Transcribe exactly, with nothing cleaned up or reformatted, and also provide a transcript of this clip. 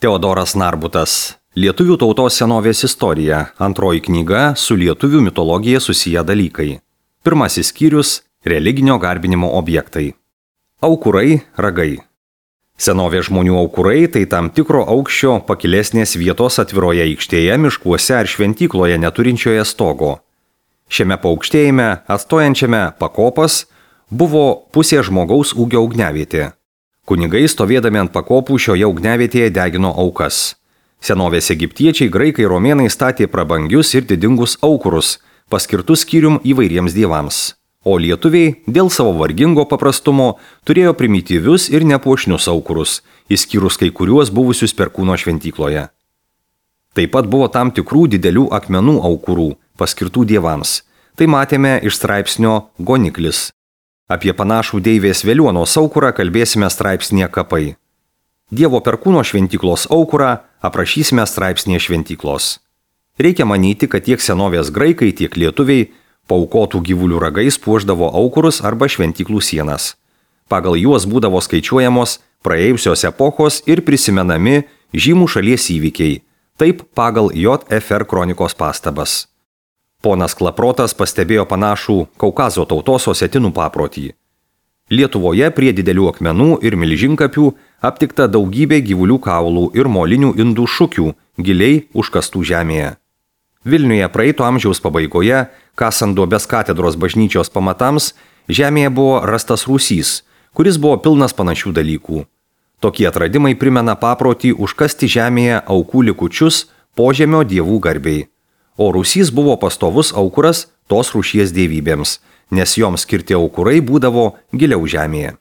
Teodoras Narbutas. Lietuvių tautos senovės istorija. Antroji knyga su lietuvių mitologija susiję dalykai. Pirmasis skyrius – religinio garbinimo objektai. Aukurai, ragai. Senovės žmonių aukurai tai tam tikro aukščio pakilesnės vietos atviroje aikštėje, miškuose ar šventykloje neturinčioje stogo. Šiame paaukštėjime, atstojančiame pakopas, buvo pusė žmogaus ūgio ugniavietė. Kunigai stovėdami ant pakopų šioje ugniavietėje degino aukas. Senovės egiptiečiai, graikai, romėnai statė prabangius ir didingus aukurus, paskirtus skyrium įvairiems dievams. O lietuviai, dėl savo vargingo paprastumo, turėjo primityvius ir nepuošnius aukurus, išskyrus kai kuriuos buvusius Perkūno šventykloje. Taip pat buvo tam tikrų didelių akmenų aukurų, paskirtų dievams. Tai matėme iš straipsnio Goniklis. Apie panašų deivės Veliuonos aukurą kalbėsime straipsnėje Kapai. Dievo Perkūno šventyklos aukurą aprašysime straipsnėje Šventyklos. Reikia manyti, kad tiek senovės graikai, tiek lietuviai paaukotų gyvulių ragais puošdavo aukurus arba šventyklų sienas. Pagal juos būdavo skaičiuojamos praėjusios epochos ir prisimenami žymų šalies įvykiai, taip pagal J F R kronikos pastabas. Ponas Klaprotas pastebėjo panašų Kaukazo tautos osetinų paprotį. Lietuvoje prie didelių akmenų ir milžinkapių aptikta daugybė gyvulių kaulų ir molinių indų šukių giliai užkastų žemėje. Vilniuje praeito amžiaus pabaigoje, kasant duobes katedros bažnyčios pamatams, žemėje buvo rastas rūsys, kuris buvo pilnas panašių dalykų. Tokie atradimai primena paprotį užkasti žemėje aukų likučius požemio dievų garbei. O rūsys buvo pastovus aukuras tos rūšies dievybėms, nes joms skirti aukurai būdavo giliau žemėje.